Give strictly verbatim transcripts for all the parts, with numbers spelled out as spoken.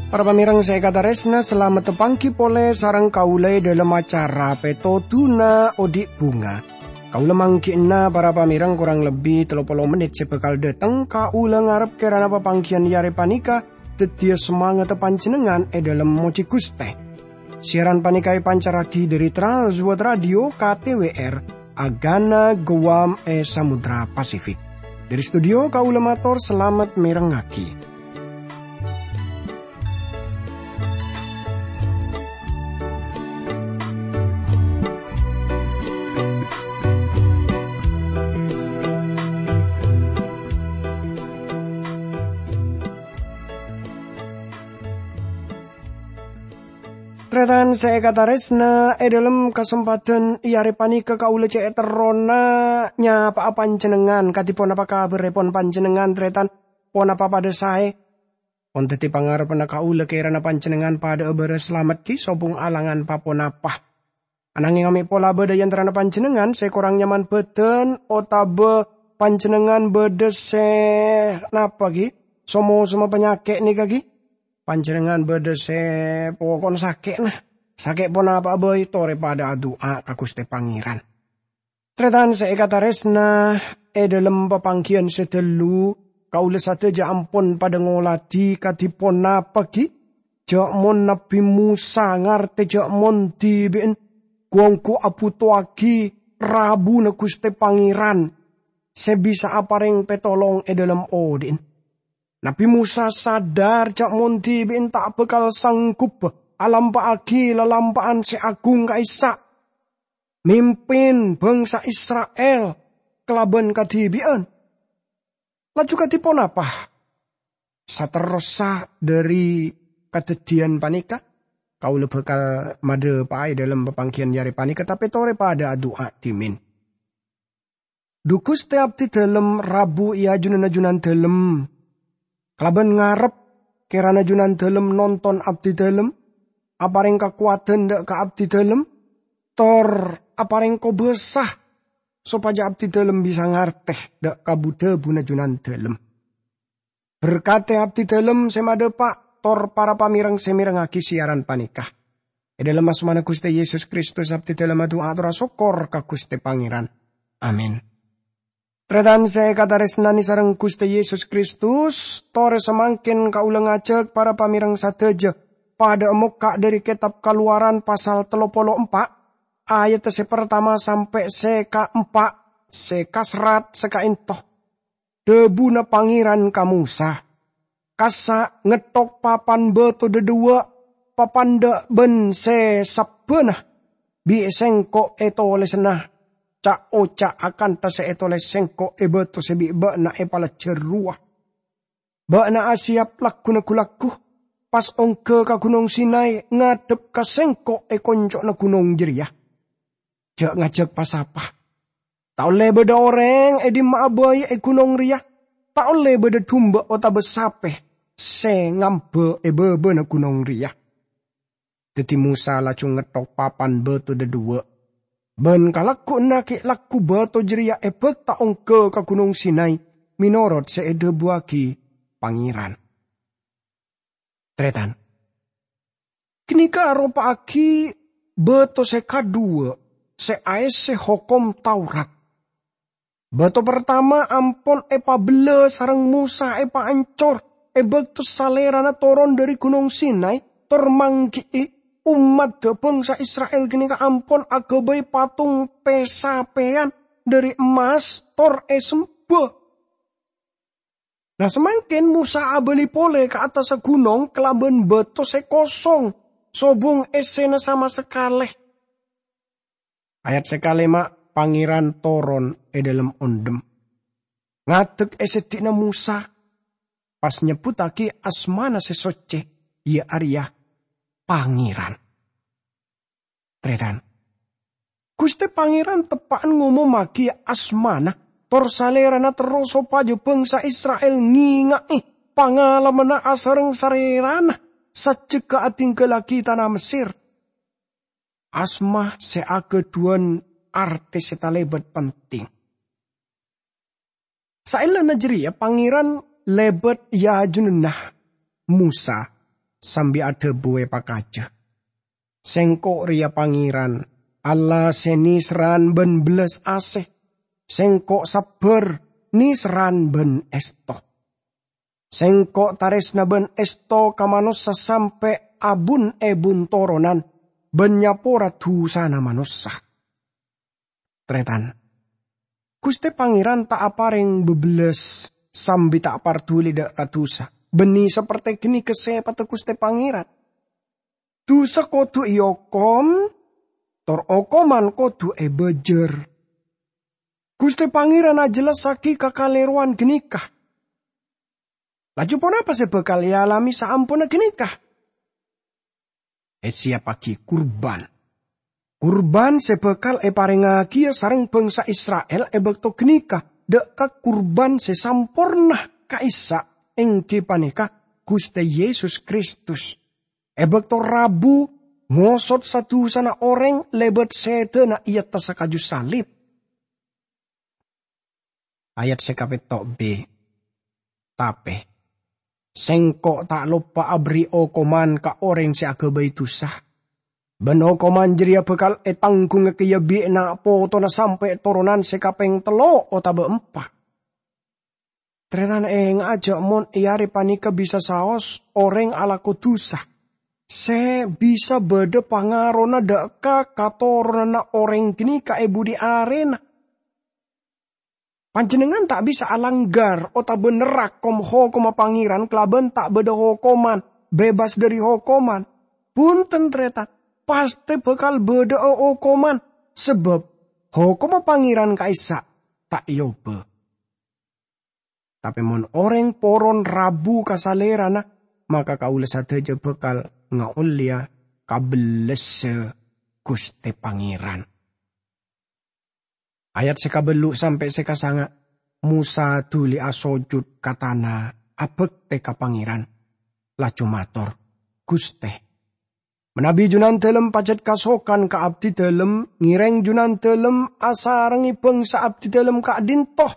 Para pamèrèng sè èkatarèsna, salamet tapangghi polè sareng kaulâ è dhâlem acara Pètodhuna Odi' Bhunga. Kaulâ mangghi'na para pamèrèng korang lebbi tello polo mennit sè bhâkal dhâteng. Kaulâ ngarep kèrana papangghiyân è arè panèka dhâddhiyâ samangatta panjhennengngan è dhâlem mojhi Ghustè. Siaran panèka èpancarraghi dhâri Trans World Radio K T W R, Agana Guam è Samudra Pasifik. Dhâri studio kaulâ mator salamet mèrengngaghi. Tarètan sè èkatarèsna, è dhâlem kasempadhân è arè panèka kaulâ cè' terrona nyapa'a panjhennengngan. Kadhi ponapa kabhârrèpon panjhennengngan, tarètan? Ponapa padhâ saè? Mon dhâddhi pangarebbhânna kaulâ kèrana panjhennengngan padhâ'â bârâs salamet ghi' sobung alangan pa-ponapa. Anangèng mè' pola bâdâ è antarana panjhennengngan sè korang nyaman bhâdhân otabâ panjhennengngan bâdâ sè napa ghi'? Somo-soma panyakè' nèka ghi'? Panjhennengngan bâdâ sè poko'na sakè', nah. Sakè' ponapa'a bhâi, torè padhâ adu'a ka Ghustè Pangèran. Tarètan sè èkatarèsna, è dhâlem papangghiyân sè dâllu, kaulâ sadhâjâ ampon padhâ ngolatè kadhi ponapa ghi'? Jhâ' mon Nabbhi Mosa ngartè jhâ' mon dhibi'ân ghu-ongghu abhutowaghi rabuna Ghustè Pangèran sè bisa aparèng pètolong è dhâlem odi'na. Nabbhi Mosa sadhâr jhâ' mon dhibi'ân ta' bhâkal sangghubbhâ alampa'aghi lalampa'an sè agung ka'issa', mimpin bhângsa Isra'il kalabân kadhibi'ân. Laju kadhi ponapa? Saterrossa dhâri kadhâddhiyân panèka, kaulâ bhâkal madhâpa'a è dhâlem papangghiyân è arè panèka, tapè torè padhâ adu'a dhimèn. Dhu Ghustè, abdhidhâlem rabu è ajunanna Junandhâlem. Kalabân ngarep kèrana Junandhâlem nonton abdhidhâlem, aparèng kakowadhân dhâ' ka abdhidhâlem, tor aparèng kobâsa sopajâ abdhidhâlem bisa ngartè dhâ' ka bu-dhâbuna Junandhâlem. Berkadhi abdhidhâlem sè madhâpa', tor para pamèrèng sè mèrengngaghi siaran panèka. È dhâlem asmana Ghustè Yesus Kristus, abdhidhâlem adu'a atorra sokkor ka Ghustè Pangèran. Amin. Tarètan sè èkatarèsnanè sareng Ghustè Yesus Kristus, torè samangkèn kaulâ ngajhâk para pamèrèng sadhâjâ padhâ mokka' dhâri Kètab Kalowaran pasal tello polo empa', ayat sè partama sampè' sè kaempa', sè kaserrat sè ka'ènto. Dhâbuna Pangèran ka Mosa, "Kassa' ngetthok papan bâto dhâdhuwâ', papan dhâ' bân sè sabbhâna, bi' Sèngko' ètolèsana ca'-oca' akantha sè ètolès Sèngko' è bâto sè bi' bâ'na èpalajhâr rowa. Bâ'na asèyap lagghuna ghu-lagghu, pas ongghâ ka Ghunong Sinai ngadhep ka Sèngko' è konco'na ghunong jârèya. Jhâ' ngajhâk pa-sapa. Ta' ollè bâdâ orèng è dimma'a bhâi è ghunong rèya. Ta' ollè bâdâ dumba otabâ sapè sè ngambâ è bâbâna ghunong rèya." Dhâddhi Mosa laju ngetthok papan bâto dhâdhuwâ', bân kalagghu'na ghi' lagghu bâto jârèya èbhâkta ongghâ ka Ghunong Sinai, mènorot sè èdhâbuwâghi Pangèran. Tarètan. Ghânèka aropa'aghi bâto sè kadhuwâ' sè aèssè Hokom Taurat. Bâto partama ampon èpabellâ sareng Mosa èpaancor è bâkto Salèrana toron dhâri Ghunong Sinai tor mangghi'i ommadda bhângsa Isra'il ghânèka ampon aghâbây patung pè-sapèyan dhâri emmas tor èsemba. Nah, samangkèn Mosa abâli polè ka attassa ghunong kalabân bâto sè kosong, sobung èssèna sama sakalè. Ayat sè kalèma', Pangèran toron è dhâlem ondhem. Ngadhek è seddhi'na Mosa, pas nyebbhuttaghi asmana sè soccè, iyâ arèya Pangèran. Tarètan. Ghustè Pangèran teppa'an ngomommaghi asmana, tor Salèrana terro sopajâ bhângsa Isra'il ngènga'è pangalamanna asareng Salèrana sajjhegghâ adhingghâllaghi tana Messèr. asma sè aghâdhuwân artè sè talèbât penting. Saellana jârèya Pangèran lèbât è ajunanna Mosa sambi adhâbu èpakajâ, "Sèngko' rèya Pangèran, Allah sè nèserran bân bellas asè. Sèngko' sabbhâr, nèserran bân èsto. Sèngko' tarèsna bân èsto ka manossa sampè' abun-èbun toronan bân nyapora dhusana manossa." Tarètan, Ghustè Pangèran ta' aparèng bâbellas sambi ta' parduli dâ' ka dhusa, bânnè sapertè ghânèka sèpatta Ghustè Pangèran. Dhusa kodhu èokom, tor okoman kodhu èbâjâr. Ghustè Pangèran ajhellassaghi kakalèrowan ghânèka. Laju ponapa sè bhâkal èalamè saamponna ghânèka? Èsiyappaghi kurban. Kurban sè bhâkal èparèngaghiyâ sareng bhângsa Isra'il è bâkto ghânèka dâ' ka kurban sè samporna ka'issa', èngghi panèka Ghustè Yesus Kristus. È bâkto rabu ngosot sa-dhusana orèng lèbât sèdhâna è attassa kaju salib. Ayat sè kapètto' B. Tapè, Sèngko' ta' loppa aberri' okoman ka orèng sè aghâbây dhusa. Bân okoman jârèya bhâkal ètangghungngaghi bi' na' potona sampè' toronan sè kapèng tello' otabâ empa'. Tarètan, ènga'a jâ' mon è arè panèka bisa saos orèng alako dhusa, sè bisa bâdâ pangarona dâ' ka katoronanna orèng ghânèka è budi arèna. Panjhennengngan ta' bisa alanggar otabâ nerrak kom-hokomma Pangèran kalabân ta' bâdâ hokoman, bebas dâri hokoman. Bhunten, tarètan, pastè bhâkal bâdâ'â hokoman, sabâb hokomma Pangèran ka'issa' ta' èobâ. Tapè mon orèng poron rabu ka Salèrana, maka kaulâ sadhâjâ bhâkal ngaollèya kabellassa Ghustè Pangèran. Ayat sè kabellu' sampè' sè kasanga', Mosa dhuli asojud ka tana, abhâktè ka Pangèran, laju mator, "Ghustè, manabi Junandalem pajhât kasokan ka abdidalem, ngèrèng Junandalem asarengngè bhângsa abdidalem ka'dinto.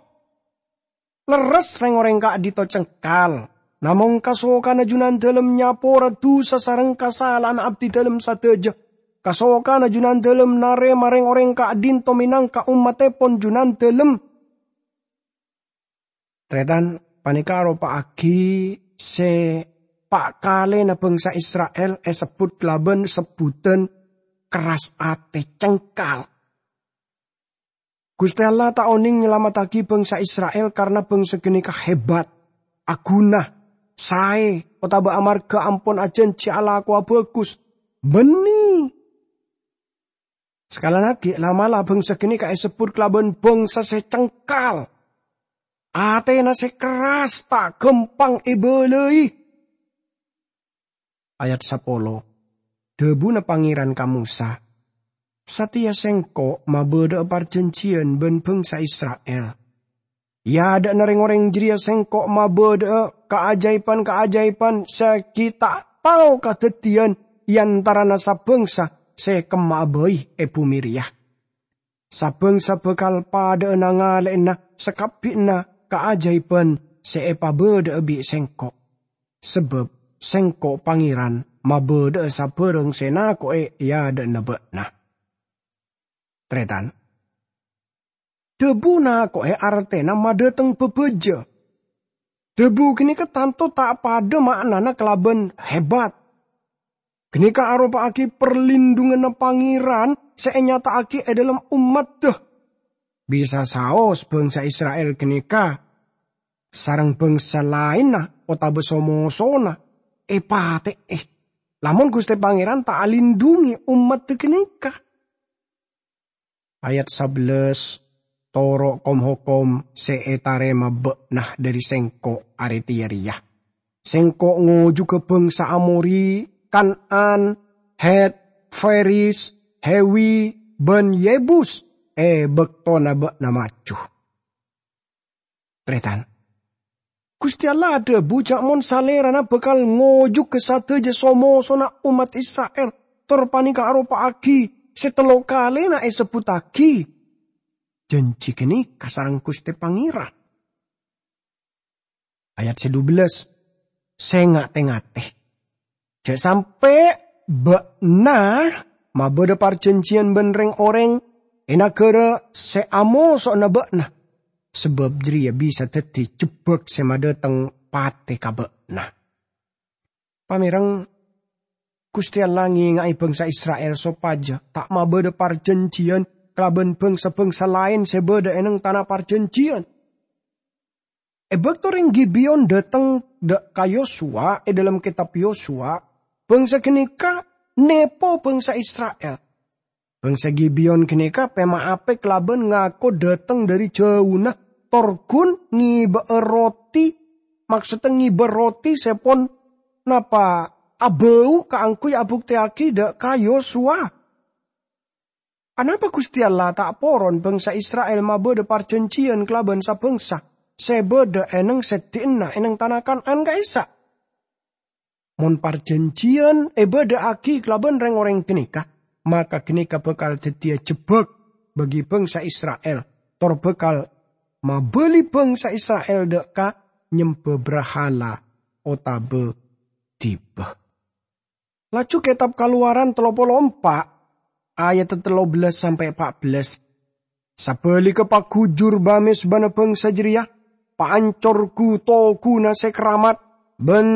Lerres rèng-orèng ka'dinto cengkal, namong kasokana Junandalem nyapora dhusa sareng kasala'anna abdidalem sadhâjâ. Kasokana Junandalem narèma rèng-orèng ka'dinto mènangka ommattèpon Junandalem." Tarètan, panèka aropa'aghi sè pa' kalèna bhângsa Isra'il èsebbhut kalabân sebbhudhân kerras atè, cengkal. Ghustè Allah ta' onèng nyalamettaghi bhângsa Isra'il karana bhângsa ghânèka hebat, aghuna, saè, otabâ amarghâ ampon ajhânjhi alakowa bhâghus. Bânnè. Sakalangngaghi, la'-mala' bhângsa ghânèka èsebbhut kalabân bhângsa sè cengkal. Atèna sè kerras, ta' ghâmpang èbâlâi. Ayat sapolo. Dhâbuna Pangèran ka Mosa, "Satèya Sèngko' mabâdâ'â parjhânjhiyân bân bhângsa Isra'il. È adâ'na rèng-orèng jârèya Sèngko' mabâdâ'â kaajâibhân-kaajâibhân sè ghi' ta' tao kadhâddhiyân è antarana sa-bhângsa sè kemma'a bhâi è bhumè rèya. Sa-bhângsa bhâkal padâ'â nangalè'ana sakabbhiyanna kaajâibhân sè èpabâdâ'â bi' Sèngko', sabâb Sèngko' Pangèran mabâdâ'â sabârâng sè ènako'è è adâ'na bâ'na." Tarètan, dhâbu nako'è artèna madhâteng bâbâjâ. Dhâbu ghânèka tanto ta' padâ ma'nana kalabân hebat. Ghânèka aropa'aghi parlindhunganna Pangèran sè ènyata'aghi è dhâlem ommaddhâ. Bisa saos bhângsa Isra'il ghânèka sareng bhângsa laènna otabâ so-mosona èpatè'è, lamon Ghustè Pangèran ta' alindhungi ommaddhâ ghânèka. Ayat sabellâs, "Toro' kom-hokom sè ètarèma bâ'na dhâri Sèngko' arè tèya rèya. Sèngko' ngojughâ bhângsa Amori, Kan'an, Hèt, Feriz, Hewi, bân Yebus è bâktona bâ'na maju." Tarètan, Ghustè Allah adhâbu jâ' mon Salèrana bhâkal ngojughâ sadhâjâ so-mosona ommat Isra'il, tor panèka aropa'aghi sè tello kalèna èsebbhuttaghi jhânjhi ghânèka sareng Ghustè Pangèran. Ayat sè dubellâs, "Sènga' tè-ngatè, jhâ' sampè' bâ'na mabâdâ parjhânjhiyân bân rèng-orèng è naghârâ sè amoso'na bâ'na, sabâb jârèya bisa dhâddhi jebbhâk sè madhâteng patè ka bâ'na." Pamèreng, Ghustè Allah ngènga'è bhângsa Isra'il sopajâ ta' mabâdâ parjhânjhiyân kalabân bhângsa-bhângsa laèn sè bâdâ è neng Tana Parjhânjhiyân. È bâkto rèng Gibeon dhâteng dâ' ka Yosua è dhâlem kètab Yosua, bhângsa ghânèka nèpo bhângsa Isra'il. Bhângsa Gibeon ghânèka pèmaèpè kalabân ngako dhâteng dâri jhâuna, tor ghun ngèbâ'â roti, maksodda ngèbâ roti sè pon napa abâu kaangghuy abuktèyaghi dâ' ka Yosua. Anapa Ghustè Allah ta' poron bhângsa Isra'il mabâdâ parjhânjhiyân kalabân sa-bhângsa sè bâdâ è neng sèddhi'na è neng Tana Kan'an ka'issa'? Mon parjhânjhiyân èbâdâ'aghi kalabân rèng-orèng ghânèka, maka ghânèka bhâkal dhâddhiyâ jebbhâk bagi bhângsa Isra'il, tor bhâkal mabâli bhângsa Isra'il dâ' ka nyembhâ brahala otabâ dibbâ. Laju kètab Kalowaran tello polo empa', ayat tello bellâs sampè' pa' bellâs. Sabhâligghâ, paghujur bâ-mèsbâna bhângsa jârèya, paancor ghu-toghuna sè keramat, bân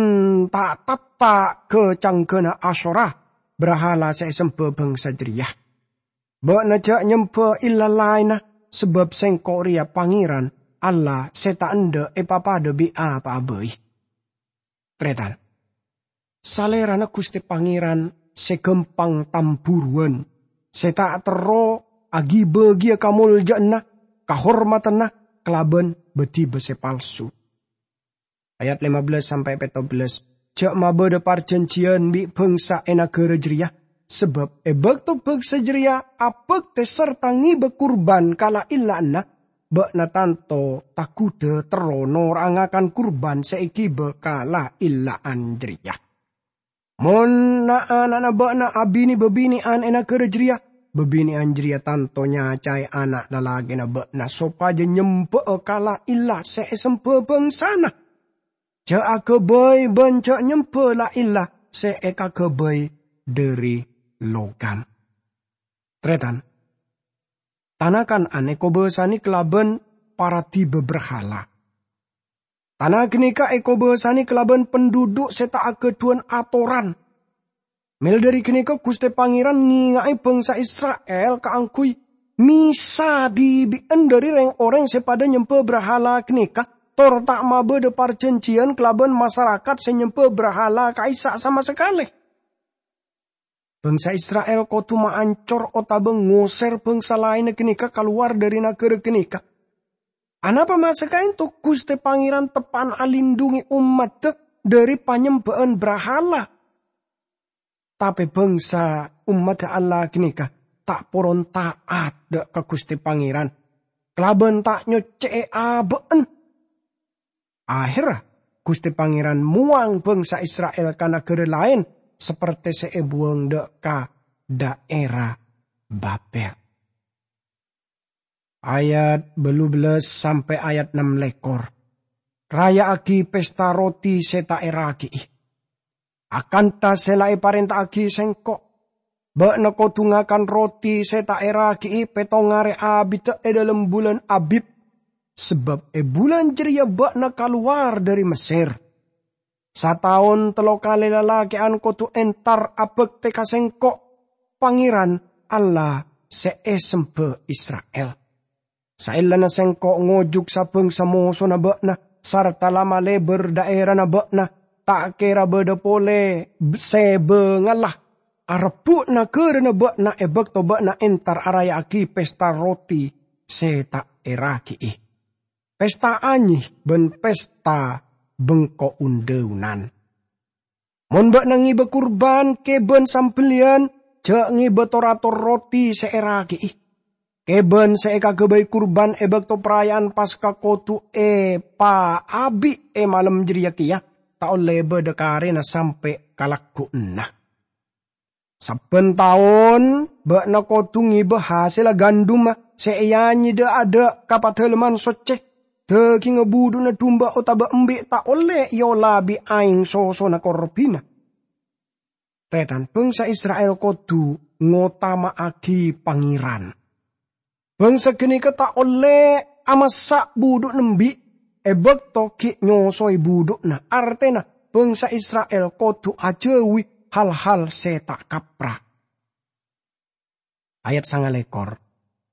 ta'-tatta' ghâ-canggâna Asyera, brahala sè èsembhâ bhângsa jârèya. Bâ'na jhâ' nyembhâ ella laènna, sabâb Sèngko' rèya Pangèran, Allah sè ta' endâ' èpapadâ bi' apa'a bhâi. Tarètan. Salèrana Ghustè Pangèran sè ghâmpang tambhuruwân, sè ta' terro aghi-bâghiyâ kamoljâ'ânna, kahormadhânna kalabân bâdhibâ sè palsu. Ayat lima bellâs sampè' pètto bellâs, "Jhâ' mabâdâ parjhânjhiyân bi' bhângsa è naghârâ jârèya, sabâb è bâkto bhângsa jârèya abhâktè sarta ngèbâ kurban ka la-, ella'na, bâ'na tanto taghudhâ terro nora'a ngakan kurban sè èghibâ ka la-, ella'an jârèya. Mon na'-ana'na bâ'na abinè bâbinè'an è naghârâ jârèya, bâbinè'an jârèya tanto nyacaè ana' lalakèna bâ'na sopajâ nyembhâ'â ka la-, ella sè èsembhâ bhângsana. Jhâ' aghâbây bân jhâ' nyembhâ la-, ella sè èkaghâbây dâri logam." Tarètan. Tana Kan'an èkobâsanè kalabân paradhiba brahala. Tana ghânèka èkobâsanè kalabân pandhudhu' sè ta' aghâdhuwân atoran. Mèla dâri ghânèka Ghustè Pangèran ngènga'è bhângsa Isra'il kaangghuy mèsa dhibi'ân dâri rèng-orèng sè padâ nyembhâ brahala ghânèka, tor ta' mabâdâ parjhânjhiyân kalabân masarakat sè nyembhâ brahala ka'issa' sama sakalè. Bhângsa Isra'il kodhu maancor otabâ ngosèr bhângsa laènna ghânèka kalowar dâri naghârâ ghânèka. Anapa masa kaènto Ghustè Pangèran teppa'na alindhungè ommaddhâ dâri panyembhâ'ân brahala? Tapè bhângsa ommaddhâ Allah ghânèka ta' poron ta'at dâ' ka Ghustè Pangèran, kalabân ta' nyoccè'è abâ'na. Aherra, Ghustè Pangèran mowang bhângsa Isra'il ka naghârâ laèn, sapertè sè èbhuwâng dâ' ka dhaèra Babel. Ayat bâllu bellâs sampè' ayat nem lèkor. Raya'aghi pesta roti sè ta' èragi'i, akantha sè la èparènta'aghi Sèngko'. Bâ'na kodhu ngakan roti sè ta' èragi'i pèttong arè abiddhâ è dhâlem bulân Abib, sabâb è bulân jârèya bâ'na kalowar dâri Messèr. Sataon tello kalè lalakè'an kodhu entar abhâktè ka Sèngko', Pangèran Allah sè èsembhâ Isra'il. Saellana Sèngko' ngojuk sa-bhângsa mosona bâ'na sarta la malèbâr dhaèrana bâ'na, ta' kèra bâdâ polè b-, sè bângalla arebbhu' naghârâna bâ'na è bâkto bâ'na entar araya'aghi pesta roti sè ta' èragi'i, pesta anyè bân pesta bengko un-dhâunan. Mon bâ'na ngèbâ kurban kèbân sambelliyân, jhâ' ngèbâ tor-ator roti sè èragi'i. Kèbân sè èkaghâbây kurban è bâkto paraya'an Paska kodhu èpaabi' è malem jârèya kèya, ta' ollè bâdâ karèna sampè' ka lagghu'na. Sabbhân taon bâ'na kodhu ngèbâ hasèlla gandumma sè èanyèdhâ adâ' ka Padalemman Socce. Dhâghingnga budhu'na dumba otabâ embi' ta' ollè èola bi' aèng sosona korbhina. Tarètan, bhângsa Isra'il kodhu ngotama'aghi Pangèran. Bhângsa ghânèka ta' ollè amassa' budhu'na embi' è bâkto ghi' nyosoè budhu'na, artèna bhângsa Isra'il kodhu ajâuwi hal-hal sè ta' kapra. Ayat sangalèkor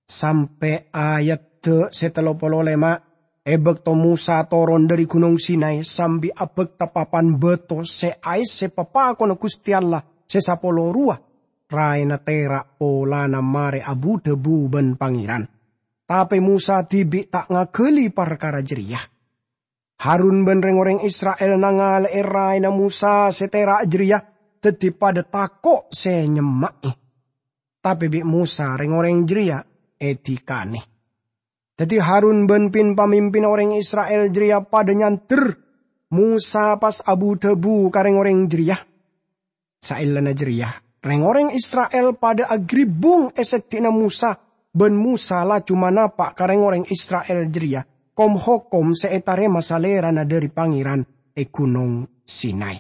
sampè' ayat sè tello polo lèma'. È bâkto Mosa toron dhâri Ghunong Sinai sambi abhâkta papan bâto sè aèssè papakonna Ghustè Allah sè sapolo rowa, raèna tèra' polana marè abu-dhâbu bân Pangèran. Tapè Mosa dhibi' ta' ngaghâli parkara jârèya. Harun bân rèng-orèng Isra'il nangalè'è raèna Mosa sè tèra' jârèya, dhâddhi padâ tako' sè nyemma'è. Tapè bi' Mosa rèng-orèng jârèya èdhikanè. Dhâddhi Harun bân pin-pamimpinna orèng Isra'il jârèya padâ nyandher Mosa pas abu-dhâbu ka rèng-orèng jârèya. Saellana jârèya, rèng-orèng Isra'il padâ agribbung è seddi'na Mosa, bân Mosa laju manapa' ka rèng-orèng Isra'il jârèya kom-hokom sè ètarèma Salèrana dhâri Pangèran è Ghunong Sinai.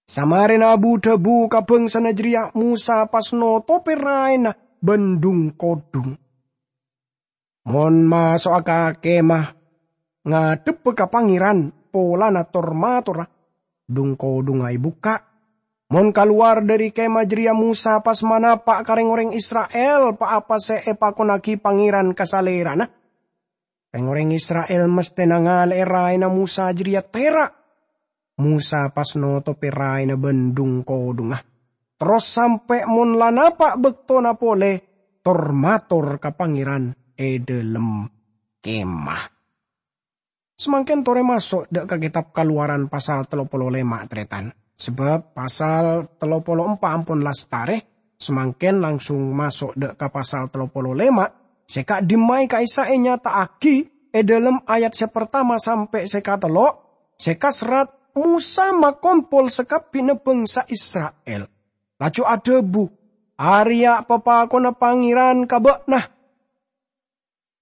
Samarèna abu-dhâbu ka bhângsana jârèya, Mosa pas notopè raèna bân dhung-kodhung. Mon maso'a ka kemah ngadhebbhâ ka Pangèran polana tor-matorra, dhung-kodhungnga èbukka'. Mon kalowar dhâri kemah jârèya, Mosa pas manapa' ka rèng-orèng Isra'il pa-apa sè èpakonnaghi Pangèran ka Salèrana. Rèng-orèng Isra'il mastè nangalè'è raèna Mosa jârèya tèra'. Mosa pas notopè raèna bân dhung-kodhungnga. Terros sampè' mon la napa' bâktona polè, tor-mator ka Pangèran è dhâlem kemah. Samangkèn torè maso' dhâ' ka Kètab Kalowaran pasal tello polo lèma', tarètan. Sabâb pasal tello polo empa' ampon lastarè, samangkèn langsung maso' dhâ' ka pasal tello polo lèma', sè ka'dimmaè ka'issa' ènyata'aghi è dhâlem ayat sè partama sampè' sè katello', sè kaserrat Mosa makompol sakabbhiyânna bhângsa Isra'il. Laju adhâbu, "Arèya papakonna Pangèran ka bâ'na."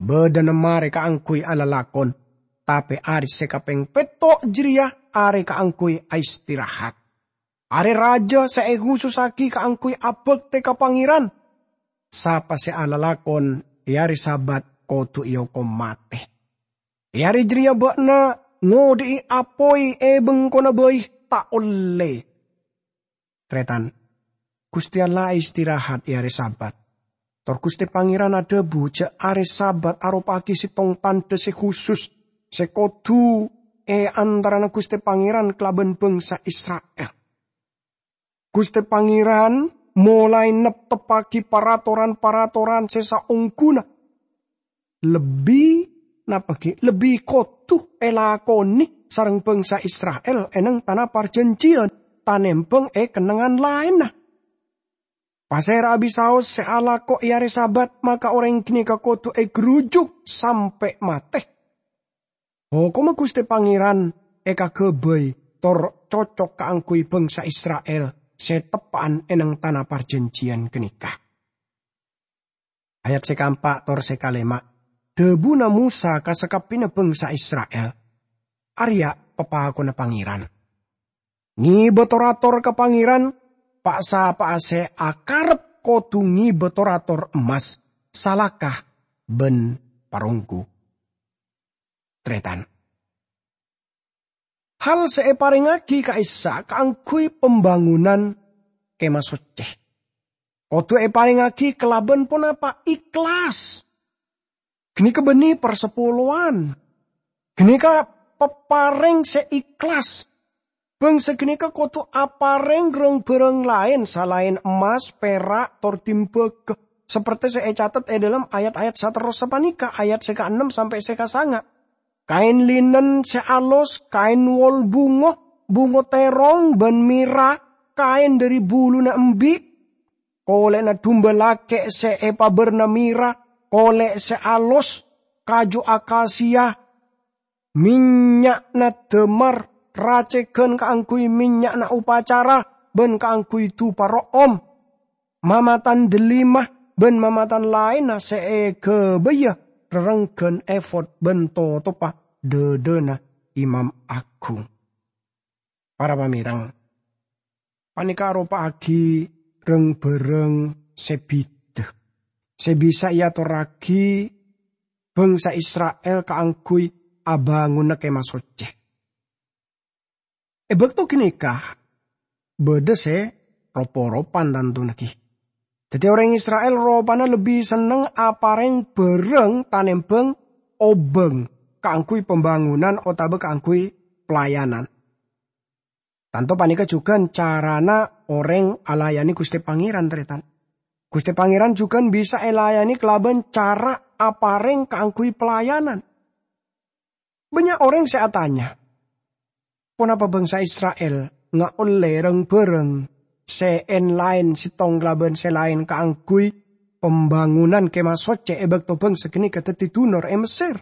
Bâdâna marè kaangghuy alalakon, tapè arè sè kapèng pètto' jârèya arè kaangghuy aistirahat. Arè rajâ sè èkhusussaghi kaangghuy abhâktè ka Pangèran. Sapa sè alalakon è arè Sabat kodhu èokom matè. È arè jârèya bâ'na ngodhi'i apoy è bengkona bhâi, ta' ollè. Tarètan, Ghustè Allah aistirahat è arè Sabat. Tor Ghustè Pangèran adhâbu jhâ' arè Sabat aropa'aghi sèttong tandhâ sè khusus sè kodhu è antarana Ghustè Pangèran kalabân bhângsa Isra'il. Ghustè Pangèran molaè nepteppaghi paratoran-paratoran sè saongghuna lebbi, napa ghi', lebbi kodhu èlakonè sareng bhângsa Isra'il è neng Tana Parjhânjhiyân, tanèmbhâng è kennengngan laènna. Pasèra abisaos sè alako è arè Sabat, maka orèng ghânèka kodhu ègrujuk sampè' matè. Hokomma Ghustè Pangèran èkaghâbây tor cocok kaangghuy bhângsa Isra'il sè teppa'an è neng Tana Parjhânjhiyân ghânèka. Ayat sè kaempa' tor sè kalèma', dhâbuna Mosa ka sakabbhiyânna bhângsa Isra'il, "Arèya papakonna Pangèran. Ngèbâ tor-ator ka Pangèran, pa-sapa'a sè akarep kodhu ngèbâ tor-ator emmas, salaka bân paronggu." Tarètan. Hal sè èparèngaghi ka'issa' kaangghuy pambângonan Kemah Socce kodhu èparèngaghi kalabân ponapa? Ikhlas. Ghânèka bânnè parsapolowan. Ghânèka paparèng sè ikhlas. Bhângsa ghânèka kodhu aparèng rang-bhârâng laèn salaèn emmas, pèra', tor dimbâghâ, sapertè sè ècatet è dhâlem ayat-ayat saterrossa panèka, ayat sè kaennem sampè' sè kasanga'. Kaèn linen sè alos, kaèn wol bungo, bungo tèrong bân mèra, kaèn dhâri buluna embi', kolè'na dumba lakè' sè èpabârna mèra, kolè' sè alos, kaju akasia, mènnya'na dâmar, racègân kaangghuy mènnya'na opacara, bân kaangghuy dupa ro'om, mamatan dellima bân mamatan laènna sè èghâbâyâ rerengghân efod bân totopa dhâdhâna imam aghung. Para pamèreng, panèka aropa'aghi rang-bhârâng sè bhidhâ, sè bisa èatorraghi bhângsa Isra'il kaangghuy abângona Kèma Soccè. È bâkto ghânèka, bâdâ sè rop-poropan tantona ghi. Dhâddhi orèng Isra'il ropana lebbi senneng aparèng bhârâng tanèmbhâng obâng kaangghuy pambângonan otabâ kaangghuy pelayanan. Tanto panèka jhughân carana orèng alayanè Ghustè Pangèran, tarètan. Ghustè Pangèran jhughân bisa èlayanè kalabân cara aparèng kaangghuy pelayanan. Bânnya' orèng sè atanya, "Ponapa bhângsa Isra'il ngaollè rang-bhârâng sè èn-laèn sèttong kalabân sè laèn kaangghuy pambângonan Kèma Soccè è bâkto bhângsa ghânèka dhâddhi dunor è Messèr?"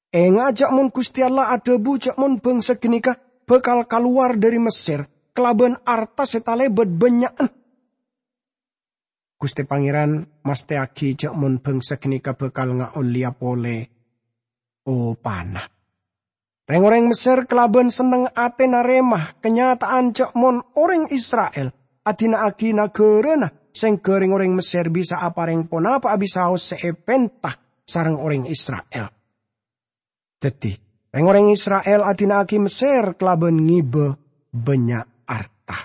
Enga' jhâ' mon Ghustè Allah adhâbu jhâ' mon bhângsa ghânèka bhâkal kalowar dhâri Messèr kalabân arta sè talèbât bânnya'na. Ghustè Pangèran mastèyaghi jhâ' mon bhângsa ghânèka bhâkal ngaollèya polè opana. Rèng-orèng Messèr kalabân senneng atè narèma kanyata'an jhâ' mon orèng Isra'il adina'aghi naghârâna, sèngghâ rèng-orèng Messèr bisa aparèng ponapa'a bisaos sè èpènta sareng orèng Isra'il. Dhâddhi, rèng-orèng Isra'il adina'aghi Messèr kalabân ngibâ bânnya' arta.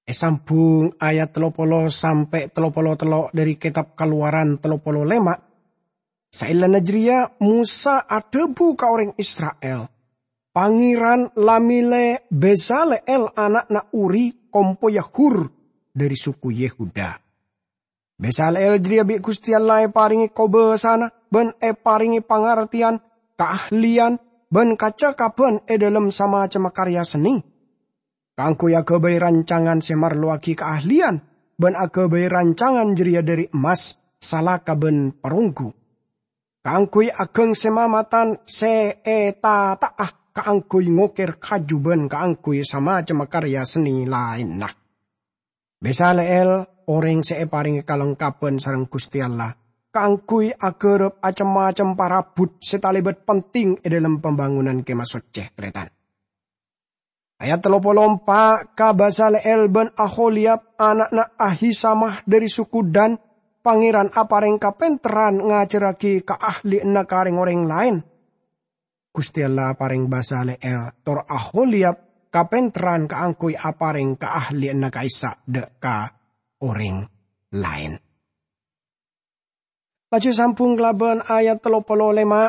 Èsambhung ayat tello polo sampè' tello polo tello' dhâri Kètab Kalowaran tello polo lèma'. Saellana jârèya Mosa adhâbu ka orèng Isra'il, "Pangèran la mèlè Bezaleel ana'na Uri kompoyya Hur dhâri suku Yehuda." Bezaleel jârèya bi' Ghustè Allah èparèngè kobâsana bân èparèngè pangartèyan kaahlèyan bân kacakabhân è dhâlem samacemma karya sennè, kaangghuy aghâbây rancangan sè marlowaghi kaahlèyan bân aghâbây rancangan jârèya dhâri emmas, salaka bân paronggu, kaangghuy aghâng sè mamatan sè ètata'a kaangghuy ngokèr kaju bân kaangghuy samacemma karya sennè laènna. Bezaleel orèng sè èparèngè kalengkabhân sareng Ghustè Allah kaangghuy aghârâp acem-macem parabut sè talèbât penting è dhâlem pambângonan Kèma Soccè, tarètan. Ayat tello polo empa', ka Bezaleel bân Aholiyab ana'na Ahisamah dhâri suku Dan, Pangèran aparèng kapènterran ngajhârraghi kaahlèyanna ka rèng-orèng laèn. Ghustè Allah aparèng Bezaleel tor Aholiyab kapènterran kaangghuy aparèng kaahlèyanna ka'issa' dâ' ka orèng laèn. Laju èsambhung kalabân ayat tello polo lèma'.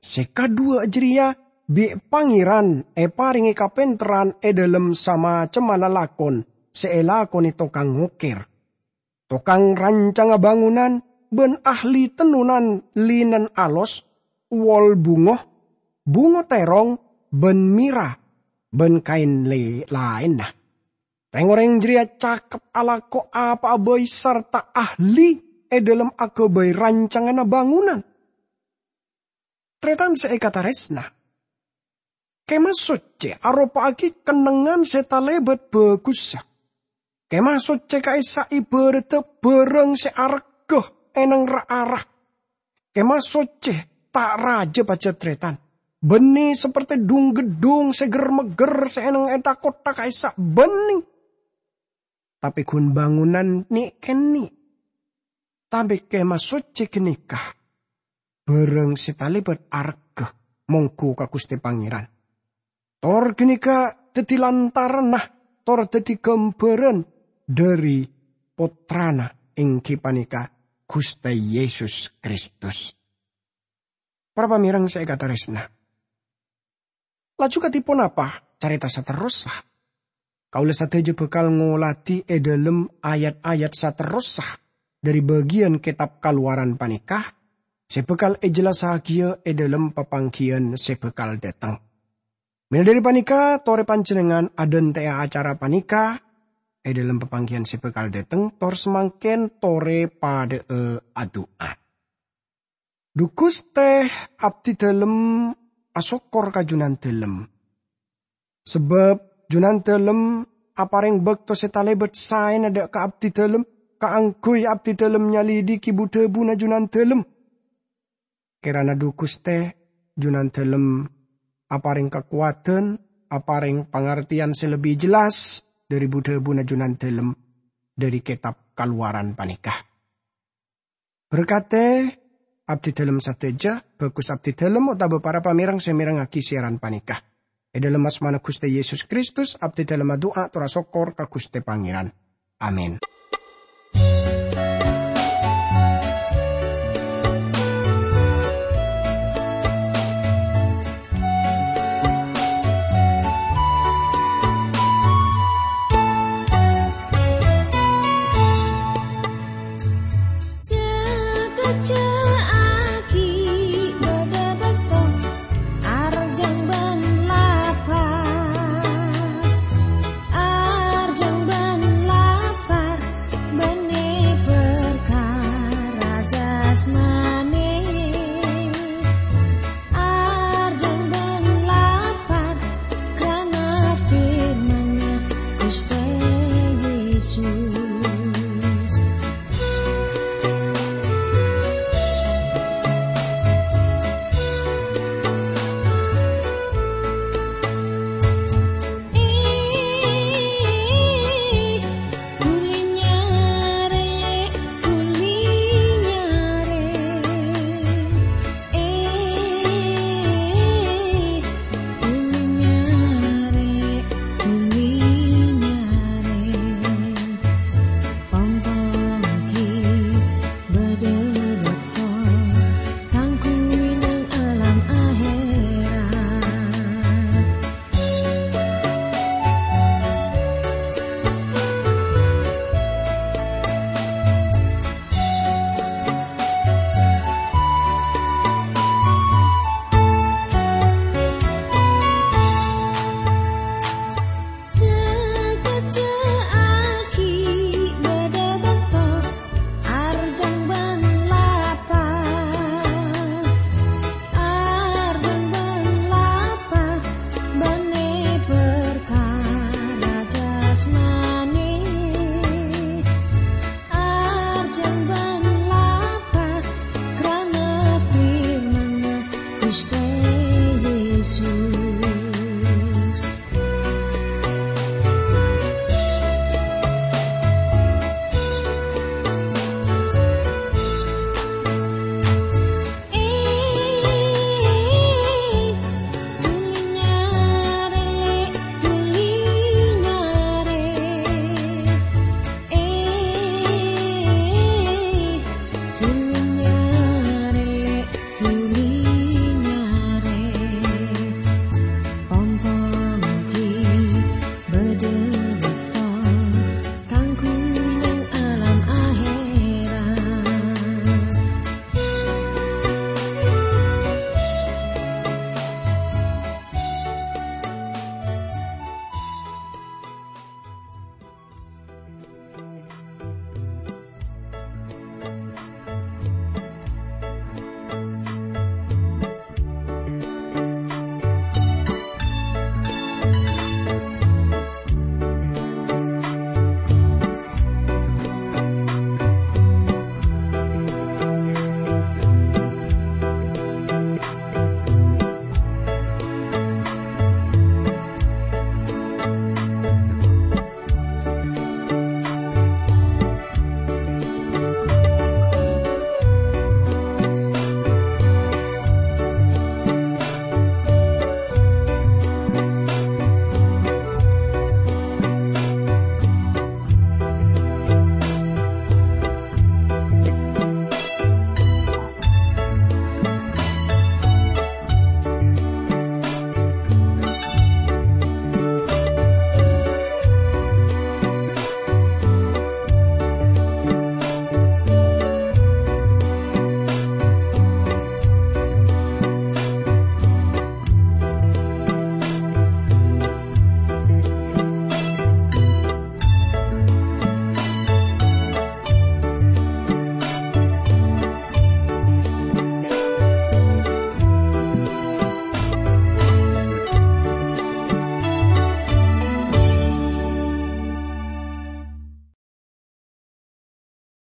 Sè kadhuwâ jârèya bi' Pangèran èparèngè kapènterran è dhâlem samacemma lalakon sè èlakonè tokang ngokèr, tokang rancangnga bângonan, bân ahli tennonan linen alos, wol bungo, bungo tèrong, bân mèra, bân kaèn lè-, laènna. Rèng-orèng jârèya cakep alako apa'a bhâi sarta ahli è dhâlem aghâbây rancanganna bângonan. Tarètan sè èkatarèsna, Kèma Soccè aropa'aghi kennengngan sè talèbât bhâghussa. Kèma Soccè ka'issa' ibâraddhâ bârâng sè arghâ è neng ra-ara. Kèma Soccè ta' rajâ pajhât, tarètan. Bânnè saperte dhung-geddhung sè ger-megger sè è neng è tha-kottha ka'issa' bânnè. Tapè ghun bângonan nè'-kènè'. Tapè Kèma Soccè ghânèka bârâng sè talèbât arghâ mongghu ka Ghustè Pangèran. Tor ghânèka dhâddhi lantaranna, tor dhâddhi ghâmbhârân dhâri Pottrana, èngghi panèka Ghustè Yesus Kristus. Para pamèreng sè èkatarèsna, laju kadhi ponapa carèta saterrossa? Kaulâ sadhâjâ bhâkal ngolatè è dhâlem ayat-ayat saterrossa dhâri bâgiyân Kètab Kalowaran panèka, sè bhâkal èjellassagiyâ è dhâlem papangghiyân sè bhâkal dâteng. Mèla dhâri panèka, torè panjhennengngan adhântè'a acara panèka è dhâlem papangghiyân sè bhâkal dâteng, tor samangkèn torè padhâ'â adu'a. Dhu Ghustè, abdhi dhâlem asokkor ka Junandhâlem, sabâb Junandalem aparèng bâkto sè talèbât saèna dâ' ka abdidalem, kaangghuy abdidalem nyalidhiki bu-dhâbuna Junandalem. Kèrana dhu Ghustè, Junandalem aparèng kakowadhân, aparèng pangartèyan sè lebbi jelas dhâri bu-dhâbuna Junandalem dhâri Kètab Kalowaran panèka. Berkadhi abdidalem sadhâjâ, bhâghus abdidalem otabâ para pamèreng sè mèrengngaghi siaran panèka. È dhâlem asmana Ghustè Yesus Kristus, abdidalem adu'a tor asokkor ka Ghustè Pangèran. Amin.